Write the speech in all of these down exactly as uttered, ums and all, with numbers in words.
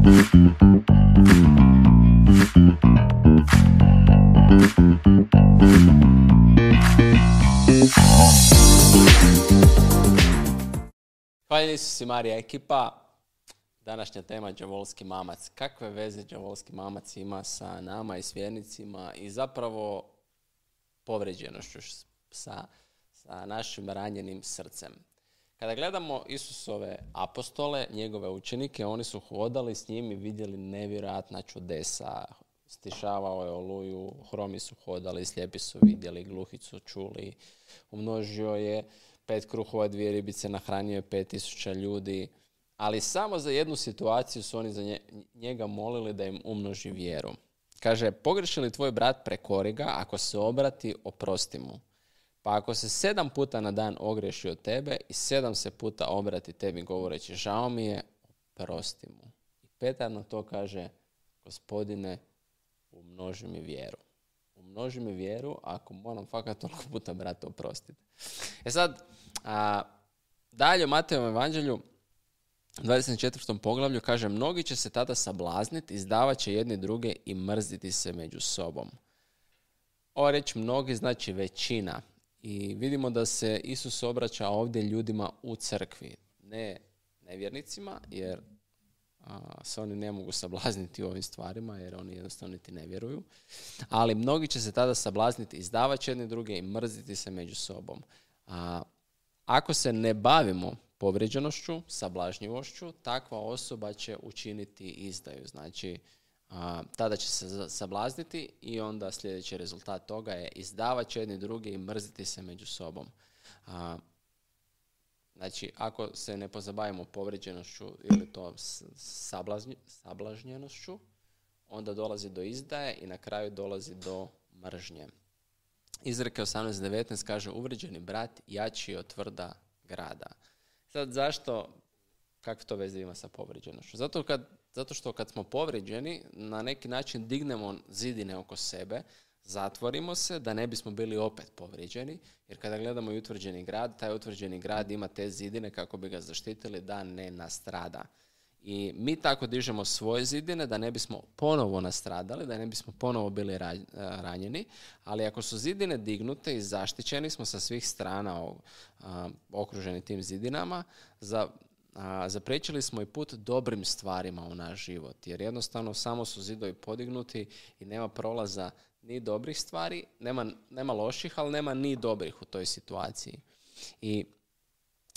Hvala Isusi Marija ekipa. Današnja tema đavolski mamac. Kakve veze đavolski mamac ima sa nama i s vjernicima i zapravo povređenošću sa, sa našim ranjenim srcem. Kada gledamo Isusove apostole, njegove učenike, oni su hodali s njim i vidjeli nevjerojatna čudesa. Stišavao je oluju, hromi su hodali, slijepi su vidjeli, gluhi su čuli, umnožio je pet kruhova, dvije ribice, nahranio je pet tisuća ljudi, ali samo za jednu situaciju su oni za njega molili da im umnoži vjeru. Kaže, pogreši li tvoj brat, prekori ga, ako se obrati, oprosti mu. Pa ako se sedam puta na dan ogreši od tebe i sedam se puta obrati tebi govoreći, žao mi je, oprosti mu. I Petar na to kaže, Gospodine, umnoži mi vjeru. Umnoži mi vjeru ako moram fakat toliko puta brata oprostiti. E sad, a, dalje u Matejovom evanđelju, dvadeset četvrtom poglavlju, kaže, mnogi će se tada sablazniti, izdavat će jedni druge i mrziti se među sobom. Ova reč mnogi znači većina. I vidimo da se Isus obraća ovdje ljudima u crkvi, ne nevjernicima, jer a, se oni ne mogu sablazniti u ovim stvarima, jer oni jednostavno niti ne vjeruju. Ali mnogi će se tada sablazniti, izdavat će jedni druge i mrziti se među sobom. A, ako se ne bavimo povrijeđenošću, sablažnjivošću, takva osoba će učiniti izdaju. Znači, a, tada će se sablazniti i onda sljedeći rezultat toga je izdavat će jedni drugi i mrziti se među sobom. A, znači, ako se ne pozabavimo povrijeđenošću ili to sablažnj, sablažnjenošću, onda dolazi do izdaje i na kraju dolazi do mržnje. Izreke osamnaest devetnaest kaže, uvrijeđeni brat jači je od tvrda grada. Sad zašto, kakve to veze ima sa povrijeđenošću? Zato, kad, zato što kad smo povrijeđeni, na neki način dignemo zidine oko sebe, zatvorimo se da ne bismo bili opet povrijeđeni, jer kada gledamo i utvrđeni grad, taj utvrđeni grad ima te zidine kako bi ga zaštitili da ne nastrada. I mi tako dižemo svoje zidine da ne bismo ponovo nastradali, da ne bismo ponovo bili ranjeni, ali ako su zidine dignute i zaštićeni smo sa svih strana okruženi tim zidinama, za, a, zapriječili smo i put dobrim stvarima u naš život, jer jednostavno samo su zidovi podignuti i nema prolaza ni dobrih stvari, nema, nema loših, ali nema ni dobrih u toj situaciji. I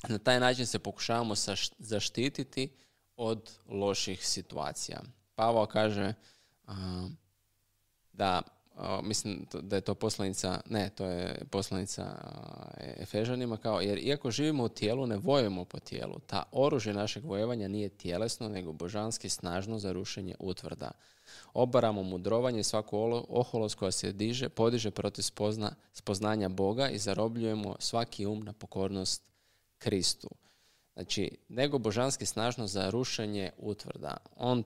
na taj način se pokušavamo zaštititi od loših situacija. Pavao kaže uh, da, uh, mislim da je to poslanica, ne, to je poslanica uh, Efežanima, kao, jer iako živimo u tijelu, ne vojujemo po tijelu. Ta oružje našeg vojevanja nije tjelesno, nego božanski snažno za rušenje utvrda. Obaramo mudrovanje i svaku oholost koja se diže, podiže protiv spozna, spoznanja Boga i zarobljujemo svaki um na pokornost Kristu. Znači, nego božanski snažno za rušenje utvrda. On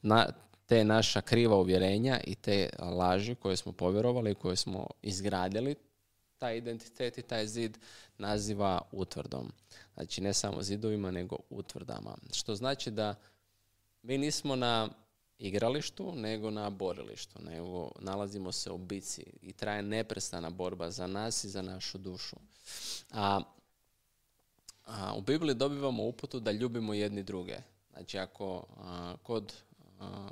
na, te naša kriva uvjerenja i te laži koje smo povjerovali i koje smo izgradili, taj identitet i taj zid naziva utvrdom. Znači, ne samo zidovima, nego utvrdama. Što znači da mi nismo na igralištu, nego na borilištu. Nego nalazimo se u bici i traje neprestana borba za nas i za našu dušu. A A, u Bibliji dobivamo uputu da ljubimo jedni druge. Znači, ako a, kod a,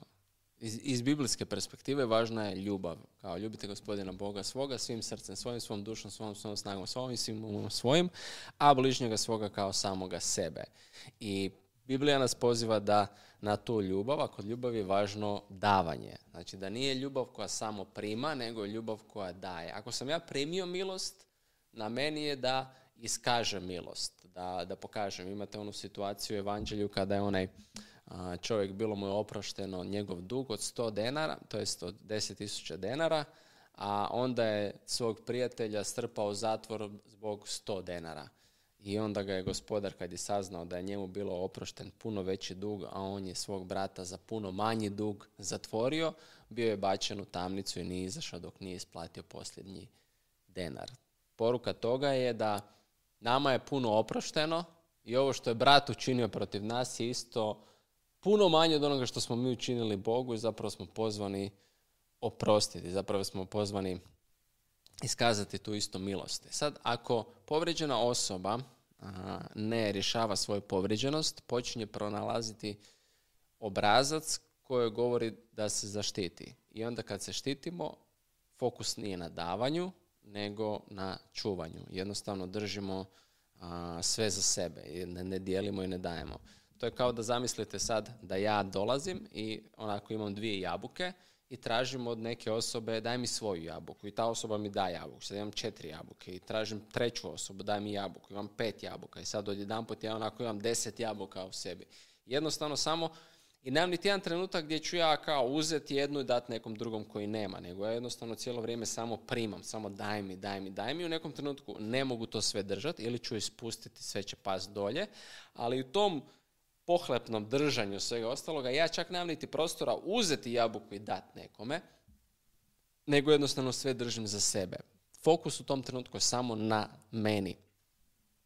iz, iz biblijske perspektive važna je ljubav. Kao ljubite Gospodina Boga svoga svim srcem, svojim, svom dušom, svom, svom snagom, svojim, svim svojim, a bližnjega svoga kao samoga sebe. I Biblija nas poziva da na tu ljubav, a kod ljubavi je važno davanje. Znači, da nije ljubav koja samo prima, nego je ljubav koja daje. Ako sam ja primio milost, na meni je da iskažem milost, da, da pokažem. Imate onu situaciju u evanđelju kada je onaj a, čovjek, bilo mu je oprošteno njegov dug od sto denara, to jest od deset tisuća denara, a onda je svog prijatelja strpao u zatvor zbog sto denara. I onda ga je gospodar, kad je saznao da je njemu bilo oprošten puno veći dug, a on je svog brata za puno manji dug zatvorio, bio je bačen u tamnicu i nije izašao dok nije isplatio posljednji denar. Poruka toga je da nama je puno oprošteno i ovo što je brat učinio protiv nas je isto puno manje od onoga što smo mi učinili Bogu i zapravo smo pozvani oprostiti, zapravo smo pozvani iskazati tu isto milost. Sad, ako povrijeđena osoba a, ne rješava svoju povrijeđenost, počinje pronalaziti obrazac koji govori da se zaštiti. I onda kad se štitimo, fokus nije na davanju, nego na čuvanju. Jednostavno držimo a, sve za sebe. Ne, ne dijelimo i ne dajemo. To je kao da zamislite sad da ja dolazim i onako imam dvije jabuke i tražim od neke osobe daj mi svoju jabuku i ta osoba mi da jabuku. Sad imam četiri jabuke i tražim treću osobu daj mi jabuku. Imam pet jabuka i sad odjedanput ja onako imam deset jabuka u sebi. Jednostavno samo i nemam niti jedan trenutak gdje ću ja kao uzeti jednu i dati nekom drugom koji nema, nego ja jednostavno cijelo vrijeme samo primam, samo daj mi, daj mi, daj mi. U nekom trenutku ne mogu to sve držati ili ću ispustiti, sve će past dolje, ali u tom pohlepnom držanju svega ostaloga ja čak nemam niti prostora uzeti jabuku i dati nekome, nego jednostavno sve držim za sebe. Fokus u tom trenutku je samo na meni.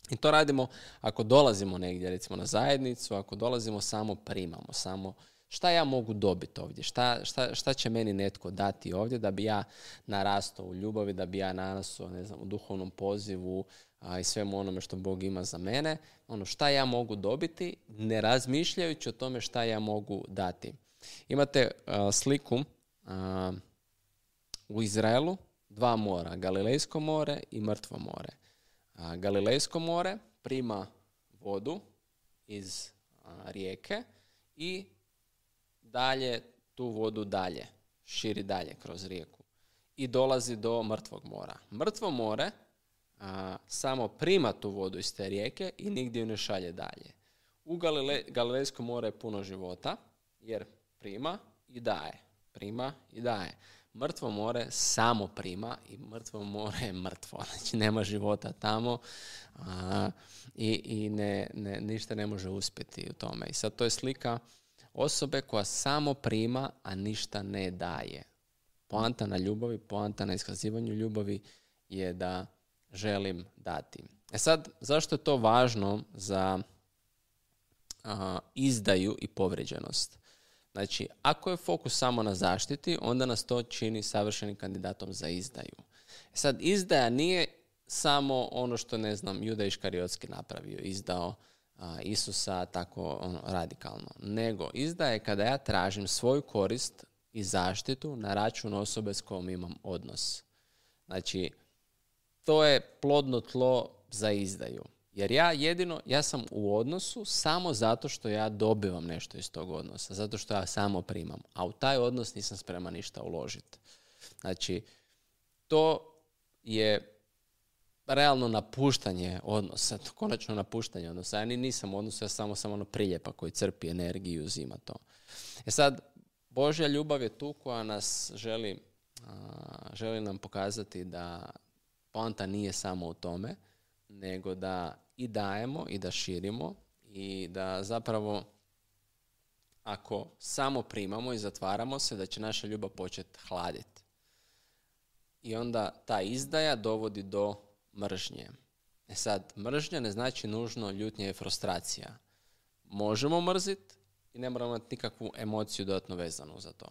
I to radimo ako dolazimo negdje, recimo na zajednicu, ako dolazimo samo primamo, samo šta ja mogu dobiti ovdje, šta, šta, šta će meni netko dati ovdje da bi ja narastao u ljubavi, da bi ja narastao, ne znam, u duhovnom pozivu a, i svemu onome što Bog ima za mene. Ono šta ja mogu dobiti, ne razmišljajući o tome šta ja mogu dati. Imate a, sliku a, u Izraelu, dva mora, Galilejsko more i Mrtvo more. A, Galilejsko more prima vodu iz a, rijeke i dalje tu vodu dalje, širi dalje kroz rijeku i dolazi do Mrtvog mora. Mrtvo more a, samo prima tu vodu iz te rijeke i nigdje ju ne šalje dalje. U Galile, Galilejskom more je puno života jer prima i daje, prima i daje. Mrtvo more samo prima i mrtvo more je mrtvo. Znači nema života tamo a, i, i ne, ne, ništa ne može uspjeti u tome. I sad to je slika osobe koja samo prima, a ništa ne daje. Poanta na ljubavi, poanta na iskazivanju ljubavi je da želim dati. E sad, zašto je to važno za a, izdaju i povrijeđenost? Znači, ako je fokus samo na zaštiti, onda nas to čini savršenim kandidatom za izdaju. E sad, izdaja nije samo ono što, ne znam, Juda Iškariotski napravio, izdao a, Isusa tako ono, radikalno. Nego, izdaja je kada ja tražim svoju korist i zaštitu na račun osobe s kojom imam odnos. Znači, to je plodno tlo za izdaju. Jer ja jedino, ja sam u odnosu samo zato što ja dobivam nešto iz tog odnosa, zato što ja samo primam. A u taj odnos nisam spreman ništa uložiti. Znači, to je realno napuštanje odnosa, to konačno napuštanje odnosa. Ja ni nisam u odnosu, ja samo sam ono priljepa koji crpi energiju i uzima to. E sad, Božja ljubav je tu koja nas želi, a, želi nam pokazati da poanta nije samo u tome, nego da i dajemo i da širimo i da zapravo ako samo primamo i zatvaramo se, da će naša ljubav početi hladiti. I onda ta izdaja dovodi do mržnje. E sad, mržnja ne znači nužno ljutnja i frustracija. Možemo mrziti i ne moramo imati nikakvu emociju dodatno vezanu za to.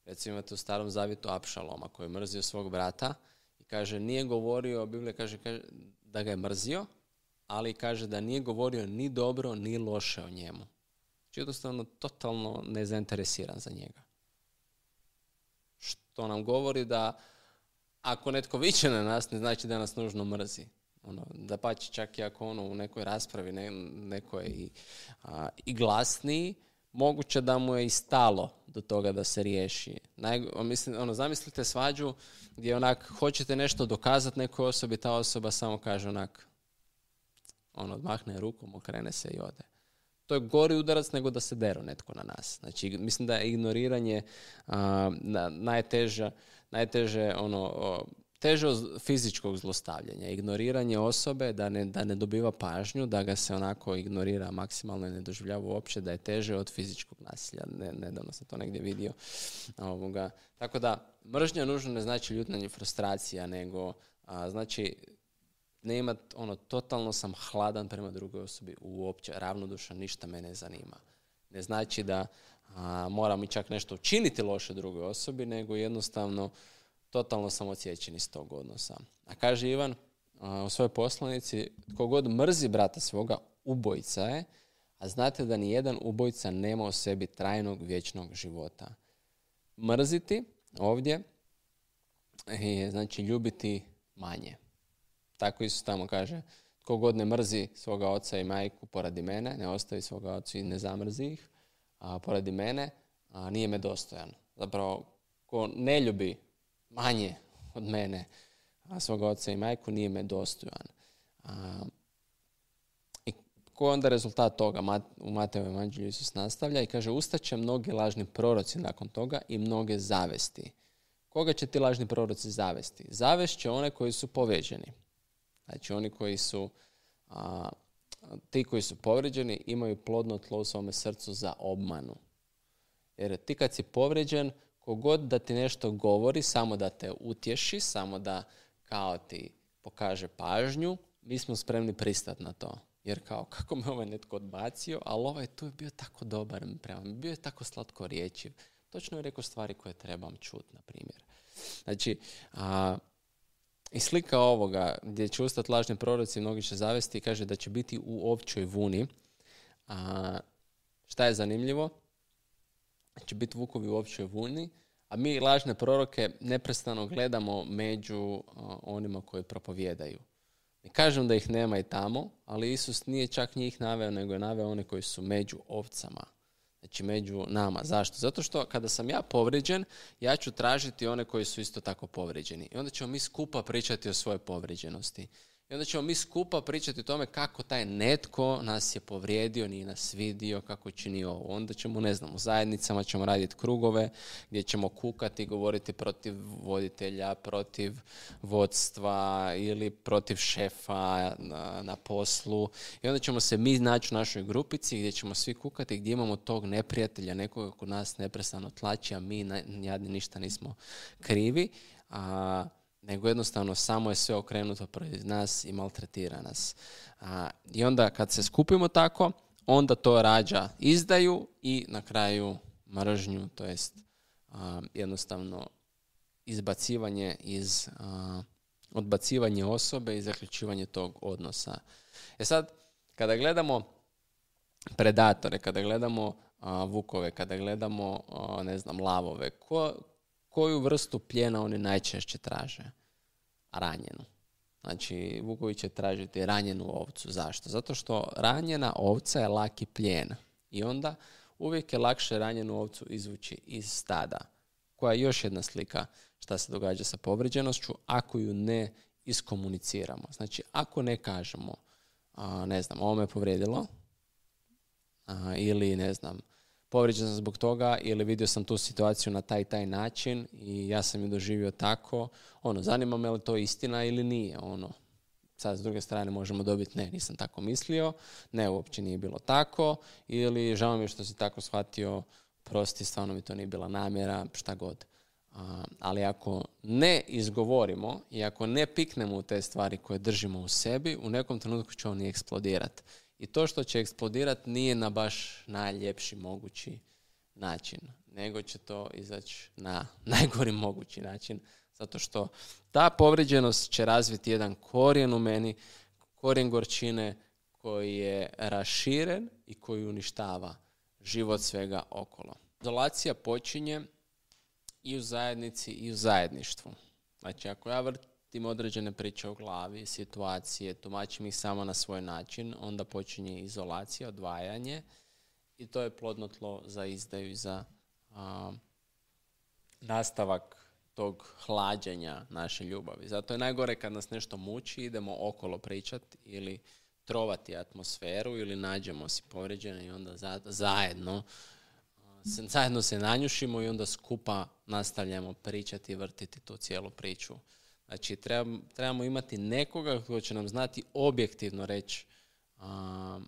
Recimo imate u Starom zavjetu Apšaloma koji je mrzio svog brata i kaže, nije govorio, Biblija kaže, kaže da ga je mrzio, ali kaže da nije govorio ni dobro, ni loše o njemu. Znači jednostavno totalno nezainteresiran za njega. Što nam govori da ako netko viče na nas, ne znači da nas nužno mrzi. Ono, da pa čak i ako ono u nekoj raspravi ne, neko je i, a, i glasniji, moguće da mu je i stalo do toga da se riješi. Naj, mislim, ono, zamislite svađu gdje onak hoćete nešto dokazati nekoj osobi, ta osoba samo kaže onak, ono, odmahne rukom, okrene se i ode. To je gori udarac nego da se deru netko na nas. Znači, mislim da je ignoriranje a, na, najteže, najteže ono, o, teže od fizičkog zlostavljanja. Ignoriranje osobe da ne, da ne dobiva pažnju, da ga se onako ignorira maksimalno i ne doživljava uopće, da je teže od fizičkog nasilja. Ne, nedavno sam to negdje vidio. Ovoga. Tako da, mržnja nužno ne znači ljutnja i frustracija, nego a, znači ne imat, ono, totalno sam hladan prema drugoj osobi, uopće ravnodušan, ništa me ne zanima. Ne znači da a, moram i čak nešto učiniti loše drugoj osobi, nego jednostavno totalno sam odsječen iz tog odnosa. A kaže Ivan a, u svojoj poslanici, tko god mrzi brata svoga, ubojica je, a znate da ni jedan ubojica nema u sebi trajnog vječnog života. Mrziti ovdje je znači ljubiti manje. Tako Isus tamo kaže, tko god ne mrzi svoga oca i majku poradi mene, ne ostavi svoga oca i ne zamrzi ih, a poradi mene, a nije me dostojan. Zapravo, ko ne ljubi manje od mene a svoga oca i majku, nije me dostojan. A, I ko je onda rezultat toga? U Matejevom evanđelju Isus nastavlja i kaže, ustaće mnogi lažni proroci nakon toga i mnoge zavesti. Koga će ti lažni proroci zavesti? Zavest će one koji su povrijeđeni. Znači oni koji su, a, ti koji su povrijeđeni imaju plodno tlo u svome srcu za obmanu. Jer ti kad si povrijeđen, kogod da ti nešto govori, samo da te utješi, samo da kao ti pokaže pažnju, mi smo spremni pristati na to. Jer kao, kako me ovaj netko odbacio, ali ovaj tu je bio tako dobar prema mi, bio je tako slatko riječiv. Točno je rekao stvari koje trebam čuti, na primjer. Znači, a, i slika ovoga, gdje će ustati lažni proroci, mnogi će zavesti, kaže da će biti u ovčoj vuni. A, šta je zanimljivo? Će biti vukovi u ovčoj vuni, a mi lažne proroke neprestano gledamo među a, onima koji propovijedaju. Ne kažem da ih nema i tamo, ali Isus nije čak njih naveo, nego je naveo one koji su među ovcama. Znači među nama. Zašto? Zato što kada sam ja povrijeđen, ja ću tražiti one koji su isto tako povrijeđeni. I onda ćemo mi skupa pričati o svojoj povrijeđenosti. I onda ćemo mi skupa pričati o tome kako taj netko nas je povrijedio, nije nas vidio, kako čini ovo. Onda ćemo, ne znam, u zajednicama ćemo raditi krugove gdje ćemo kukati, govoriti protiv voditelja, protiv vodstva ili protiv šefa na, na poslu. I onda ćemo se mi naći u našoj grupici gdje ćemo svi kukati, gdje imamo tog neprijatelja, nekoga kod nas neprestano tlači, a mi jadni ništa nismo krivi. A nego jednostavno samo je sve okrenuto protiv nas i maltretira nas. A, I onda kad se skupimo tako, onda to rađa izdaju i na kraju mržnju, to jest a, jednostavno izbacivanje iz a, odbacivanje osobe i zaključivanje tog odnosa. E sad, kada gledamo predatore, kada gledamo a, vukove, kada gledamo a, ne znam, lavove, ko koju vrstu plijena oni najčešće traže? Ranjenu. Znači, vukovi će tražiti ranjenu ovcu. Zašto? Zato što ranjena ovca je laki plijen. I onda uvijek je lakše ranjenu ovcu izvući iz stada. Koja je još jedna slika šta se događa sa povrijeđenošću ako ju ne iskomuniciramo. Znači, ako ne kažemo, a, ne znam, ovo me povrijedilo, a, ili ne znam, povrijeđen sam zbog toga ili vidio sam tu situaciju na taj taj način i ja sam ju doživio tako. Ono, zanima me li to istina ili nije. Ono, sad s druge strane možemo dobiti ne, nisam tako mislio, ne, uopće nije bilo tako ili žao mi je što si tako shvatio, prosti, stvarno mi to nije bila namjera, šta god. A, ali ako ne izgovorimo i ako ne piknemo u te stvari koje držimo u sebi, u nekom trenutku će on i eksplodirati. I to što će eksplodirati nije na baš najljepši mogući način, nego će to izaći na najgori mogući način, zato što ta povrijeđenost će razviti jedan korijen u meni, korijen gorčine koji je raširen i koji uništava život svega okolo. Izolacija počinje i u zajednici i u zajedništvu. Znači, ako ja vrtim određene priče u glavi, situacije, tumačim ih samo na svoj način, onda počinje izolacija, odvajanje i to je plodno tlo za izdaju i za a, nastavak tog hlađenja naše ljubavi. Zato je najgore kad nas nešto muči, idemo okolo pričati ili trovati atmosferu ili nađemo si povrijeđene i onda za, zajedno se, zajedno se nanjušimo i onda skupa nastavljamo pričati i vrtiti tu cijelu priču. Znači, trebamo, trebamo imati nekoga koji će nam znati objektivno reći a,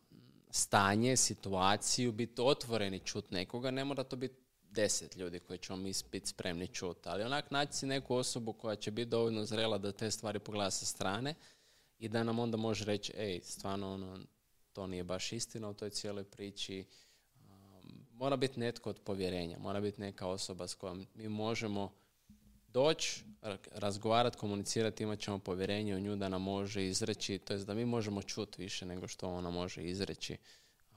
stanje, situaciju, biti otvoreni čut nekoga. Ne mora to biti deset ljudi koji ćemo mi biti spremni čuti, ali onak naći si neku osobu koja će biti dovoljno zrela da te stvari pogleda sa strane i da nam onda može reći, ej, stvarno ono, to nije baš istina u toj cijeloj priči, um, mora biti netko od povjerenja, mora biti neka osoba s kojom mi možemo doći, razgovarati, komunicirati, imat ćemo povjerenje u nju da nam može izreći, to jest da mi možemo čuti više nego što ona može izreći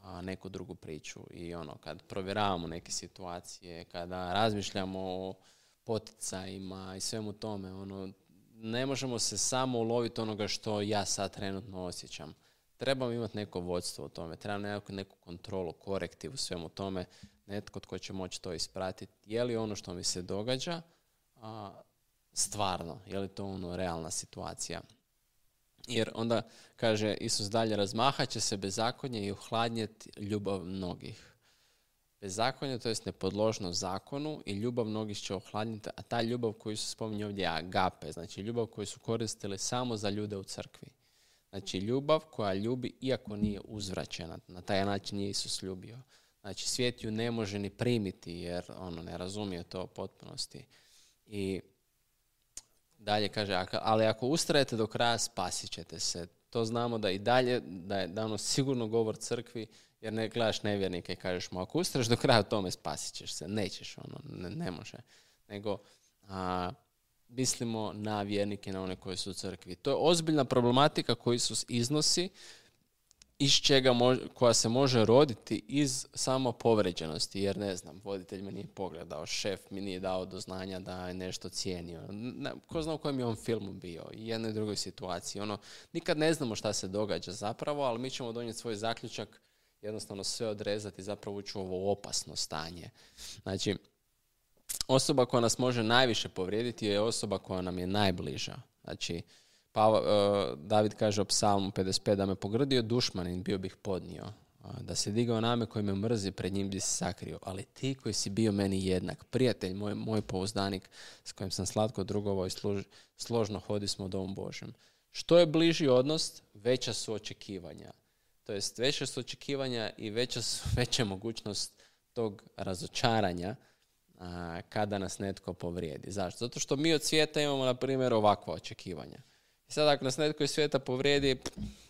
a, neku drugu priču. I ono, kad provjeravamo neke situacije, kada razmišljamo o poticajima i svemu tome, ono, ne možemo se samo uloviti onoga što ja sad trenutno osjećam. Trebamo imati neko vodstvo u tome, trebamo neku, neku kontrolu, korektiv u svemu tome, netko tko će moći to ispratiti. Je li ono što mi se događa a, stvarno, je li to ono realna situacija? Jer onda, kaže Isus dalje, razmahat će se bezakonje i ohladnjeti ljubav mnogih. Bezakonje, to jest nepodložno zakonu, i ljubav mnogih će ohladniti, a ta ljubav koju se spominje ovdje je agape, znači ljubav koju su koristili samo za ljude u crkvi. Znači ljubav koja ljubi iako nije uzvraćena, na taj način nije Isus ljubio. Znači svijet ju ne može ni primiti jer ono ne razumije to u potpunosti. I dalje kaže, ali ako ustrajete do kraja, spasit ćete se. To znamo da i dalje, da je dano sigurno govor crkvi, jer ne gledaš nevjernike i kažeš mu, ako ustraješ do kraja u tome, spasit ćeš se. Nećeš, ono, ne, ne može. Nego, a, mislimo na vjernike, na one koji su u crkvi. To je ozbiljna problematika koju Isus iznosi, iz čega mož, koja se može roditi iz samo povređenosti, jer ne znam, voditelj me nije pogledao, šef mi nije dao do znanja da je nešto cijenio. Ne, ko zna u kojem je on filmu bio, i jednoj i drugoj situaciji. Ono, nikad ne znamo šta se događa zapravo, ali mi ćemo donijeti svoj zaključak, jednostavno sve odrezati, zapravo ući u ovo opasno stanje. Znači, osoba koja nas može najviše povrijediti je osoba koja nam je najbliža. Znači, Pa, uh, David kaže u Psalmu pedeset pet, da me pogrdio dušmanin, bio bih podnio. Uh, da se digao name koji me mrzi, pred njim bi se sakrio. Ali ti koji si bio meni jednak, prijatelj, moj, moj pouzdanik, s kojim sam slatko drugovao i služ, složno hodismo Domom Božjem. Što je bliži odnos, veća su očekivanja. To jest, veća su očekivanja i veća su, veća mogućnost tog razočaranja uh, kada nas netko povrijedi. Zašto? Zato što mi od svijeta imamo, na primjer, ovakva očekivanja. I sad ako nas netko iz svijeta povrijedi,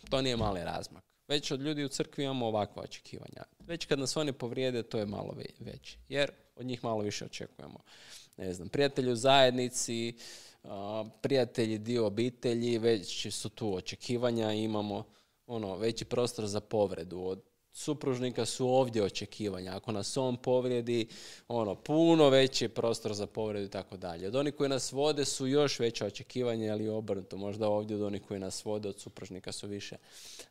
to nije mali razmak. Već od ljudi u crkvi imamo ovakva očekivanja. Već kad nas oni povrijede, to je malo veće. Jer od njih malo više očekujemo. Ne znam, prijatelji u zajednici, prijatelji dio obitelji, već su tu očekivanja, imamo ono, veći prostor za povredu. Od supružnika su ovdje očekivanja. Ako nas on povrijedi, ono, puno veći prostor za povredu i tako dalje. Od onih koji nas vode su još veća očekivanja, ali obrnuto. Možda ovdje od onih koji nas vode, od supružnika su više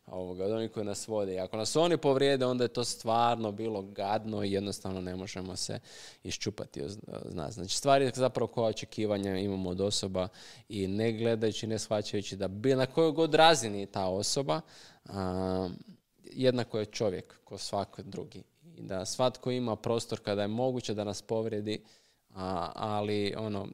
ovoga, od onih koji nas vode. I ako nas oni povrijede, onda je to stvarno bilo gadno i jednostavno ne možemo se iščupati od nas. Znači, stvari zapravo koja očekivanja imamo od osoba i ne gledajući, ne shvaćajući da bi na kojoj god razini ta osoba, a, jednako je čovjek ko svaki drugi. I da svatko ima prostor kada je moguće da nas povrijedi, a, ali ono,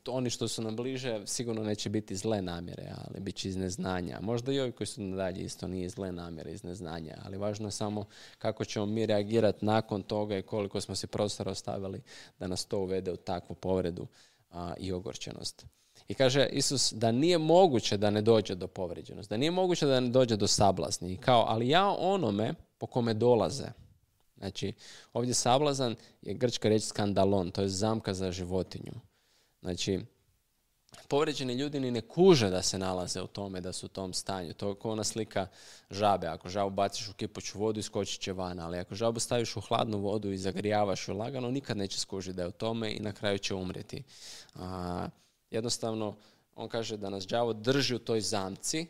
oni što su nam bliže sigurno neće biti zle namjere, ali bit će iz neznanja. Možda i ovi koji su nadalje isto nije zle namjere, iz neznanja, ali važno je samo kako ćemo mi reagirati nakon toga i koliko smo si prostora ostavili da nas to uvede u takvu povredu a, i ogorčenost. I kaže Isus da nije moguće da ne dođe do povrijeđenosti, da nije moguće da ne dođe do sablazni. I kao, ali ja onome po kome dolaze. Znači, ovdje sablazan je grčka riječ skandalon, to je zamka za životinju. Znači, povrijeđeni ljudi ni ne kuže da se nalaze u tome, da su u tom stanju. To je kao ona slika žabe. Ako žabu baciš u kipuću vodu, iskočit će van. Ali ako žabu staviš u hladnu vodu i zagrijavaš ju lagano, nikad neće skužiti da je u tome i na kraju će umrijeti. A, jednostavno, on kaže da nas đavo drži u toj zamci,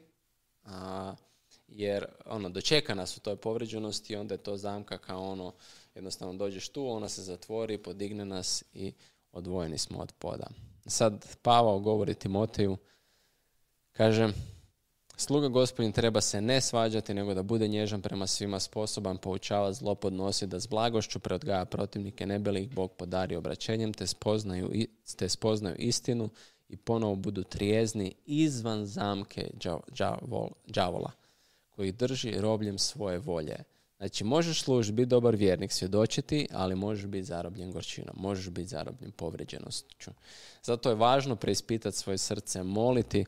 a, jer ono, dočeka nas u toj povrijeđenosti i onda je to zamka kao ono, jednostavno dođeš tu, ona se zatvori, podigne nas i odvojeni smo od poda. Sad Pavao govori Timoteju, kaže, sluga Gospodin treba se ne svađati, nego da bude nježan prema svima, sposoban poučavati, zlo podnositi, da s blagošću preodgaja protivnike, ne bi li ih Bog podari obraćenjem, te spoznaju, te spoznaju istinu i ponovo budu trijezni izvan zamke đavola, koji drži robljem svoje volje. Znači, možeš služiti, biti dobar vjernik, svjedočiti, ali možeš biti zarobljen gorčinom, možeš biti zarobljen povrijeđenošću. Zato je važno preispitati svoje srce, moliti.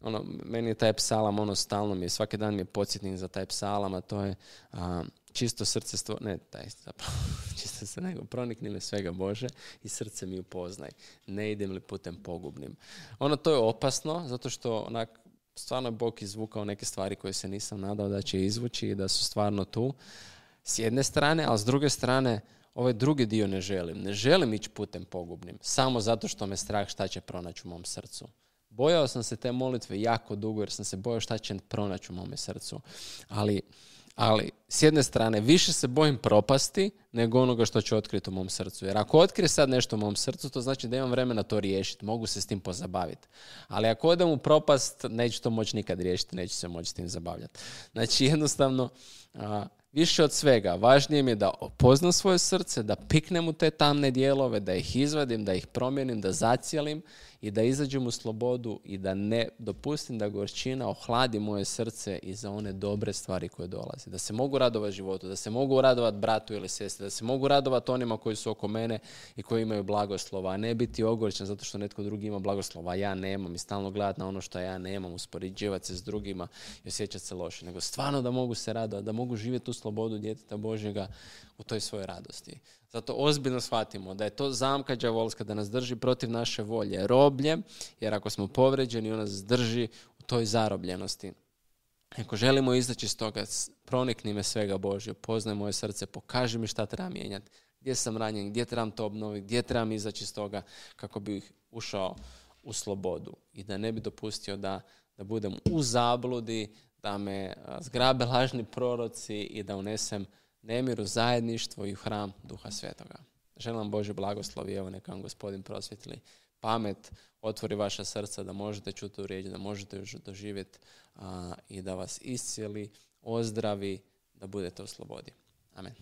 Ono, meni je taj psalam, ono, stalno mi je, svaki dan mi je podsjetnik za taj psalam, a to je, a, čisto srce stvo... ne, taj zapravo, čisto se nego, pronikni me svega Bože i srce mi upoznaj. Ne idem li putem pogubnim. Ono, to je opasno, zato što onak, stvarno je Bog izvukao neke stvari koje se nisam nadao da će izvući i da su stvarno tu. S jedne strane, ali s druge strane, ovaj drugi dio ne želim. Ne želim ići putem pogubnim, samo zato što me strah šta će pronaći u mom srcu. Bojao sam se te molitve jako dugo jer sam se bojao šta će pronaći u mome srcu. Ali, ali s jedne strane više se bojim propasti nego onoga što će otkriti u mom srcu. Jer ako otkrije sad nešto u mom srcu, to znači da imam vremena to riješiti. Mogu se s tim pozabaviti. Ali ako odem u propast, neću to moći nikad riješiti, neću se moći s tim zabavljati. Znači jednostavno... A, više od svega, važnije mi je da opoznam svoje srce, da piknem u te tamne dijelove, da ih izvadim, da ih promijenim, da zacijelim i da izađem u slobodu i da ne dopustim da gorčina ohladi moje srce i za one dobre stvari koje dolaze. Da se mogu radovati životu, da se mogu radovati bratu ili sestri, da se mogu radovati onima koji su oko mene i koji imaju blagoslova, a ne biti ogorčen zato što netko drugi ima blagoslova, a ja nemam i stalno gledati na ono što ja nemam, uspoređivati se s drugima i osjećati se loše. Nego stvarno da mogu se radovati, da mogu živjeti u slobodu djeteta Božjega u toj svojoj radosti. Zato ozbiljno shvatimo da je to zamka đavolska da nas drži protiv naše volje roblje, jer ako smo povređeni, on nas drži u toj zarobljenosti. Ako želimo izaći iz toga, pronikni me svega Božje, poznaj moje srce, pokaži mi šta treba mijenjati, gdje sam ranjen, gdje trebam to obnoviti, gdje trebam izaći iz toga kako bih ušao u slobodu i da ne bi dopustio da, da budem u zabludi, da me zgrabe lažni proroci i da unesem nemir u zajedništvo i u hram Duha Svetoga. Želim vam Božji blagoslov i evo neka vam Gospodin prosvjetli pamet, otvori vaša srca da možete čuti tu riječ, da možete ju doživjeti a, i da vas iscijeli, ozdravi, da budete u slobodi. Amen.